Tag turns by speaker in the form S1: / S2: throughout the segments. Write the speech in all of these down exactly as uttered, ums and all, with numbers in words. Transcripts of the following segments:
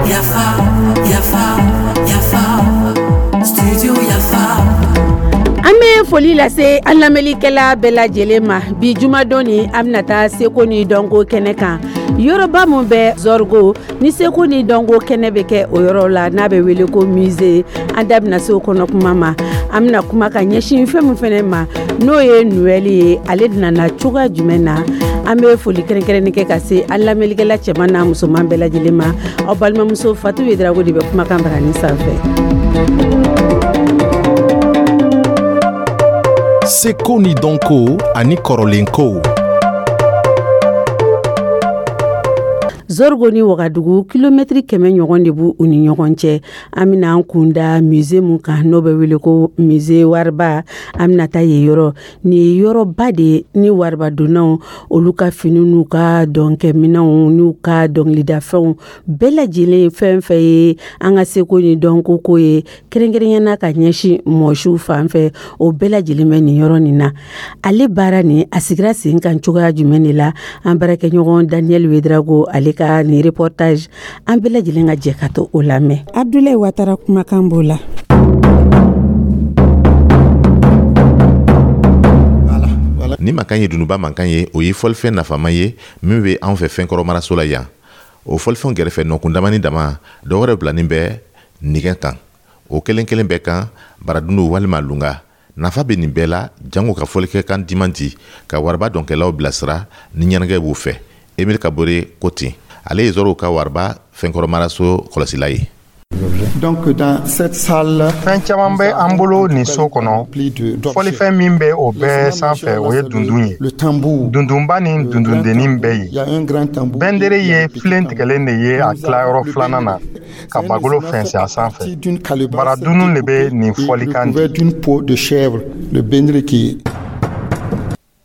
S1: Yafa, yafa, yafa, studio Yafa.
S2: An bɛ foli lase an lamɛnlikɛla bɛɛ lajɛlen ma. Bi jumadon ni, an bɛna taa seko ni dɔnko kɛnɛ kan, yɔrɔba min bɛ Zɔrigo ni seko ni dɔnko kɛnɛ bɛ kɛ o yɔrɔ la, n'a bɛ wele ko musée. An da bɛna se o kɔnɔ kuma ma. An bɛna kuma ka ɲɛsin fɛn min fɛnɛ ma, n'o ye Noël ye, ale nana cogoya jumɛn na? An bɛ foli kɛrɛnkɛrɛnni kɛ ka se an lamɛnlikɛla cɛman n'a musoman bɛɛ lajɛlen ma. Aw balimamuso Fatu Yedrago de bɛ kumakan barani sanfɛ.
S3: Seko ni dɔnko ani kɔrɔlenkow.
S2: Zɔrigo ni Wagadugu, kilomɛtiri kɛmɛ ɲɔgɔn de b'u u ni ɲɔgɔn cɛ. An bɛna an kunda musée mun kan, n'o bɛ wele ko musée Wariba, an bɛna taa yen yɔrɔ. Nin ye yɔrɔba de ye ni waribadonnaw olu ka fini n'u ka dɔnkɛminɛnw n'u ka dɔnkilidafɛnw bɛɛ lajɛlen, fɛn fɛn ye an ka seko ni dɔnko ko ye, kɛrɛnkɛrɛnya ka ɲɛsin mɔsiw fan fɛ, o bɛɛ lajɛlen bɛ nin yɔrɔ nin na. Ale baara nin, a sigira sen kan cogoya jumɛn de la? An baarakɛɲɔgɔn Daniel Wedrago, ale ka nin reportage, an bɛɛ lajɛlen ka jɛ ka to o lamɛn. Abdoulaye Watara kumakan b'o la.
S4: Ni mankan ye dununba mankan ye, o ye fɔlifɛn nafama ye min bɛ anw fɛ fɛnkɔrɔ maraso la yan. O fɔlifɛnw gɛrɛfɛ, nɔkun damani dama dɔ wɛrɛ bilanin bɛ nɛgɛ kan. O kelen kelen bɛɛ kan baradundu walima lunga. Nafa bɛ nin bɛɛ la, jango ka fɔlikɛkan diman di ka wariba dɔnkɛlaw bilasira ni ɲɛnajɛ b'u fɛ. Emile Kabore ko ten, ale ye Zɔrɔw ka wariba fɛnkɔrɔ maraso kɔlɔsila ye.
S5: Donc dans cette salle,
S6: fɛn caman bɛ an bolo nin so kɔnɔ. Fɔlifɛn min bɛ o bɛɛ sanfɛ, o ye dundun ye. Dundunba ni dundundennin bɛ yen. Bɛndere ye filen tigɛlen de ye a tilayɔrɔ filanan na ka bagolo fɛnsɛ a sanfɛ. Baradunun de bɛ nin fɔlikan
S5: di.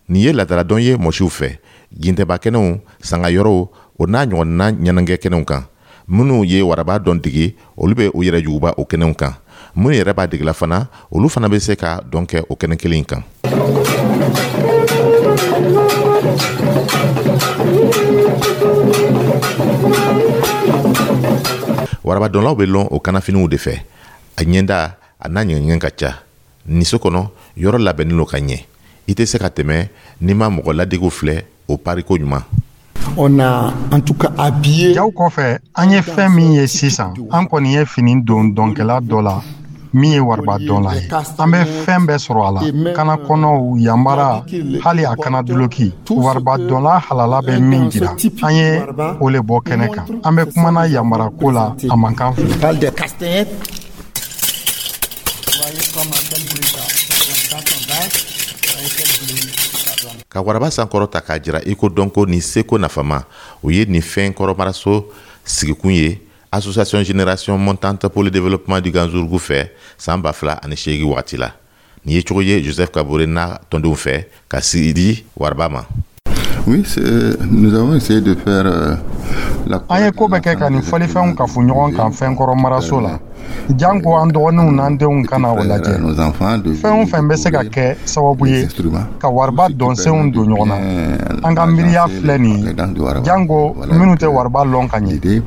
S4: Nin ye laadaladɔn ye mɔsiw fɛ, gintɛba kɛnɛw, sangayɔrɔw, o n'a ɲɔgɔnna ɲɛnajɛ kɛnɛw kan. Minnu ye waraba dɔn dege, olu bɛ u yɛrɛ juguba o kɛnɛw kan. Minnu yɛrɛ b'a degela fana, olu fana bɛ se ka dɔn kɛ o kɛnɛ kelen kan. Warabadɔnlaw bɛ lɔn o kanafiniw de fɛ. A ɲɛda a n'a ɲɛgɛn ka ca. Nin so kɔnɔ, yɔrɔ labɛnnen don ka ɲɛ. I tɛ se ka tɛmɛ n'i ma mɔgɔ ladegew filɛ o pariko ɲuman.
S5: On a en tout cas habillé.
S6: Jaw kɔfɛ, an ye fɛn min ye sisan, an kɔni ye fini don dɔnkɛla dɔ la min ye wariba dɔnla ye. An bɛ fɛn bɛɛ sɔrɔ a la, kana kɔnɔw, yanbara, hali a kana duloki. Wariba dɔnla halala bɛ min jira, an ye o le bɔ kɛnɛ kan. An bɛ kumana yanbara ko la, a man kan filɛ.
S4: Ka waraba sankɔrɔ ta k'a jira i ko dɔnko ni seko nafama, o ye nin fɛn kɔrɔmaraso sigikun ye Association Génération Montante pour le développement du Ganzourgou fɛ san ba fila ani seegin wagati la. Nin ye cogo ye Joseph Kabore n'a tɔndenw fɛ ka sigi di waraba ma.
S7: Oui, nous avons essayé de faire euh, la
S6: An ye ko bɛɛ kɛ ka nin fɔlifɛnw kafo ɲɔgɔn kan fɛnkɔrɔ maraso la, janko an dɔgɔninw n'an denw ka na o lajɛ. Fɛn o fɛn bɛ se ka kɛ sababu ye ka wariba dɔnsenw don ɲɔgɔn na, an ka miiriya filɛ nin ye, janko minnu tɛ wariba lɔn ka ɲɛ,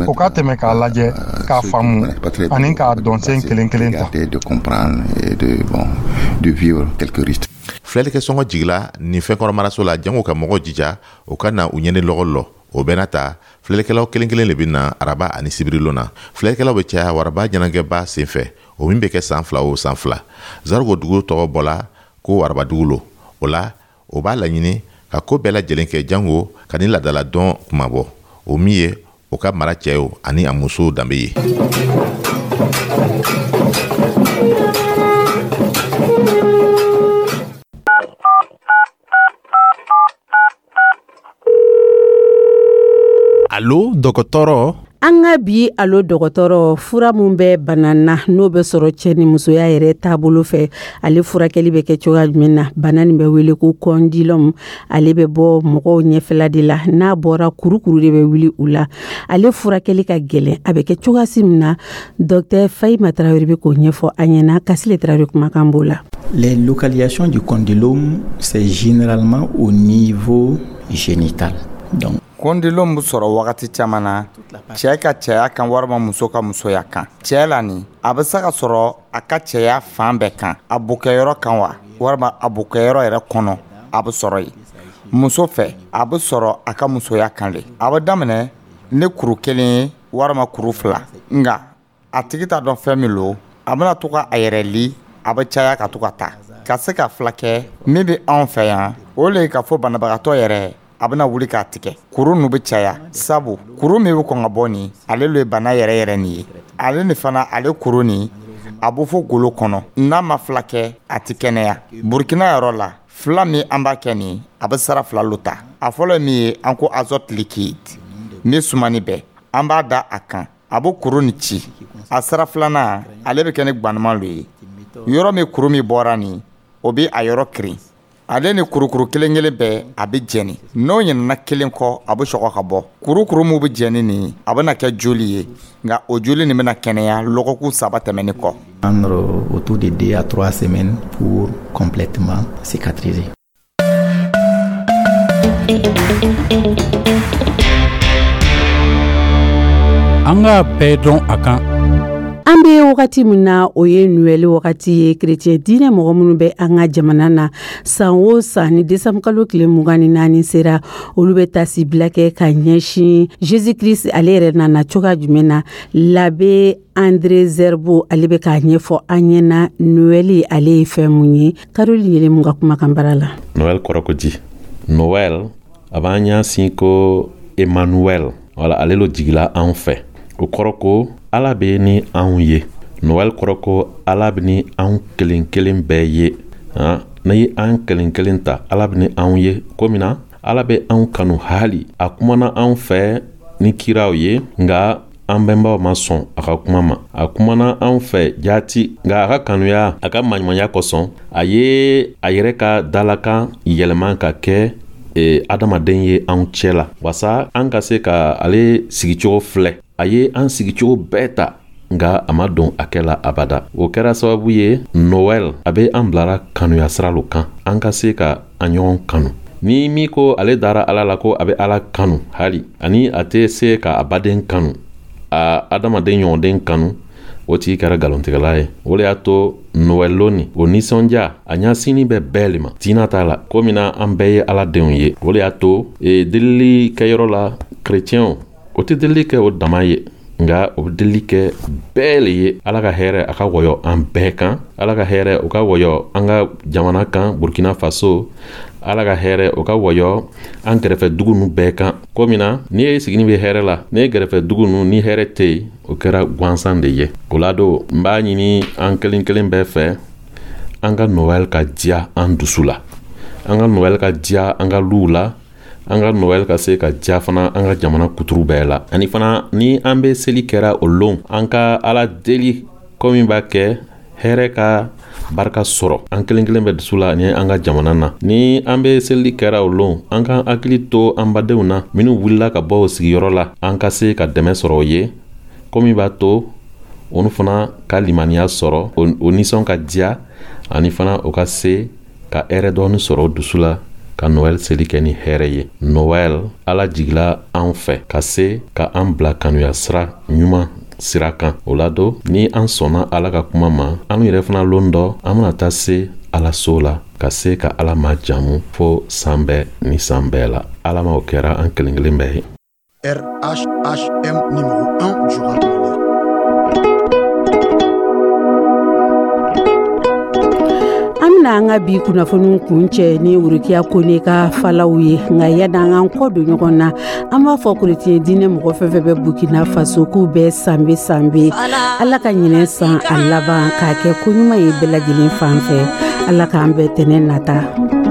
S6: o ka tɛmɛ k'a lajɛ, k'a faamu ani k'a dɔnsen kelen kelen ta.
S4: Filɛlikɛ sɔngɔ jigila nin fɛnkɔrɔ maraso la, jango ka mɔgɔw jija o ka na u ɲɛni lɔgɔ lɔ. O bɛɛ n'a ta, filɛlikɛlaw kelen kelen de bɛ na araba ani sibirilon na. Filɛlikɛlaw bɛ caya waraba ɲɛnajɛba senfɛ, o min bɛ kɛ san fila o san fila. Zarigo dugu tɔgɔ bɔla ko warabadugu lo. O la, o b'a laɲini ka ko bɛɛ lajɛlen kɛ jango ka ni laadala dɔn kunmabɔ, o min ye o ka mara cɛw ani a musow danbe ye.
S3: Alo dɔgɔtɔrɔ.
S2: An ka bi alo dɔgɔtɔrɔ, fura min bɛ bana na, n'o bɛ sɔrɔ cɛ ni musoya yɛrɛ taabolo fɛ, ale furakɛli bɛ kɛ cogoya jumɛn na? Bana nin bɛ wele ko condylome. Ale bɛ bɔ mɔgɔw ɲɛfɛla de la. N'a bɔra, kurukuru de bɛ wuli u la. Ale furakɛli ka gɛlɛn. A bɛ kɛ cogoya si min na, docteur Fahima Tarawele bɛ k'o ɲɛfɔ an ɲɛna. Kasile Tarawele kumakan b'o la.
S8: Les localisations du condylome, c'est généralement au niveau génitale. Donc,
S9: Condylome bɛ sɔrɔ wagati caman na cɛɛ ka cɛya kan walima muso ka musoya kan. Cɛɛ la nin, a bɛ se ka sɔrɔ a ka cɛya fan bɛɛ kan, a bokɛyɔrɔ kan wa, walima a bokɛyɔrɔ yɛrɛ kɔnɔ, a bɛ sɔrɔ yen. Muso fɛ, a bɛ sɔrɔ a ka musoya kan le. A bɛ daminɛ ni kuru kelen ye walima kuru fila, nka a tigi t'a dɔn fɛn min lo. A bɛna to ka a yɛrɛ li, a bɛ caya ka to ka taa ka se ka fila kɛ. Min bɛ anw fɛ yan, o le ye k'a fɔ banabagatɔ yɛrɛ a bɛna wuli k'a tigɛ. Kuru nu bɛ caya, sabu kuru min bɛ kɔn ka bɔ nin, ale le ye bana yɛrɛ yɛrɛ nin ye. Ale ni fana, ale kuru nin, a bɛ fɔ golo kɔnɔ. N'a ma fila kɛ, a tɛ kɛnɛya. Burukina yɔrɔ la, fila min an b'a kɛ nin, a bɛ sara fila lo ta. A fɔlɔ ye min ye, an ko azote liquide min sumani bɛɛ, an b'a da a kan, a bɛ kuru nin ci. A sara filanan, ale bɛ kɛ ni gbanuman lo ye. Yɔrɔ min kuru min bɔra nin, o bɛ a yɔrɔ kirin. Ale ni kurukuru kelen kelen bɛɛ, a bɛ jɛni. N'o ɲinɛna kelen kɔ, a bɛ sɔgɔ ka bɔ. Kurukuru min bɛ jɛni nin, a bɛna kɛ joli ye, nka o joli nin bɛna kɛnɛya lɔgɔkun saba tɛmɛnen kɔ.
S8: Prendre autour de deux à trois semaines pour complètement cicatriser.
S10: An k'a bɛɛ dɔn a kan.
S2: An bɛ wagati min na, o ye Noël wagati ye. Kerecɛn diinɛ mɔgɔ minnu bɛ an ka jamana na, san o san ni desanbukalo tile mugan ni naani sera, olu bɛ tasibila kɛ ka ɲɛsin Jésus Christ ale yɛrɛ nana cogoya jumɛn na. L'abbé André Zerbo, ale bɛ k'a ɲɛfɔ an ɲɛna Noël ale ye fɛn mun ye. Caroline Yelemu ka kumakan bara la.
S11: Noël kɔrɔ ko di? Noël a b'an ɲɛsin ko Emmanuel, wala ale lo jigila anw fɛ. O kɔrɔ ko Ala bɛ ni anw ye. Noël kɔrɔ ko Ala bɛ ni anw kelen kelen bɛɛ ye. N'i ye an kelen kelen ta, Ala bɛ ni anw ye ko min na, Ala bɛ anw kanu hali. A kumana anw fɛ ni kiraw ye, nka an bɛnbaw ma sɔn a ka kuma ma. A kumana anw fɛ jaati, nka a ka kanuya, a ka maɲumanya kosɔn, a ye a yɛrɛ ka dalakan yɛlɛma ka kɛ e, adamaden ye anw cɛ la, wasa an ka se ka ale sigicogo filɛ. A ye an sigicogo bɛɛ ta, nka a ma don a kɛ la abada. O kɛra sababu ye, Noël a bɛ an bilara kanuya sira lo kan, an ka se ka an ɲɔgɔn kanu. Ni min ko ale dara Ala la, ko a bɛ Ala kanu hali ani a tɛ se ka a baden kanu, a adamaden ɲɔgɔnden kanu, o tigi kɛra nkalontigɛla ye. O le y'a to Noël lon nin, o nisɔndiya a ɲɛsinin bɛ bɛɛ le ma, diina t'a la, ko min na an bɛɛ ye Ala denw ye. O le y'a to e, delili kɛyɔrɔ la, kerecɛnw o tɛ delili kɛ o dama ye, nka o bɛ delili kɛ bɛɛ le ye. Ala ka hɛrɛ a ka wɔyɔ an bɛɛ kan. Ala ka hɛrɛ o ka wɔyɔ an ka jamana kan, Burkina Faso. Ala ka hɛrɛ o ka wɔyɔ an kɛrɛfɛ dugu nu bɛɛ kan. Ko min na n'i ye sigini bɛ hɛrɛ la, n'i ye kɛrɛfɛ dugu nu ni hɛrɛ tɛ yen, o kɛra gansan de ye. O la don, n b'a ɲini an kelen kelen bɛɛ fɛ, an ka Noël ka diya an dusu la, an ka Noël ka diya an ka luw la, an ka Noël ka se ka diya fana an ka jamana kuturu bɛɛ la. Ani fana, ni an bɛ seli kɛra o lon, an ka Ala deli ko min b'a kɛ hɛrɛ ka barika sɔrɔ an kelen kelen bɛ dusu la ani an ka jamana na. Ni an bɛ seli kɛra o lon, an k'an hakili to an badenw na minnu wulila ka bɔ o sigiyɔrɔ la, an ka se ka dɛmɛ sɔrɔ o ye, ko min b'a to olu fana ka limaniya sɔrɔ, o nisɔn ka diya, ani fana o ka se ka hɛrɛ dɔɔni sɔrɔ o dusu la, ka Noël seli kɛ ni hɛrɛ ye. Noël, Ala jigila an fɛ ka se ka an bila kanuya sira ɲuman sira kan. O la don, ni an sɔnna Ala ka kuma ma, an yɛrɛ fana lon dɔ an bɛna taa se Ala so la, ka se ka Ala ma jamu fo san bɛɛ ni san bɛɛ la. Ala ma o kɛra an kelen kelen bɛɛ ye.
S12: R H H M numéro un du rap malien.
S2: An bɛna an ka bi kunnafoniw kun cɛ ni Worokiya Kone ka falaw ye. Nka yanni an k'an kɔ don ɲɔgɔn na, an b'a fɔ kerecɛn diinɛ mɔgɔ fɛn fɛn bɛ Burkina Faso k'u bɛɛ sanbe sanbe. Ala ka ɲinɛ san a laban k'a kɛ koɲuman ye bɛɛ lajɛlen fan fɛ. Ala k'an bɛɛ tɛnɛ nata.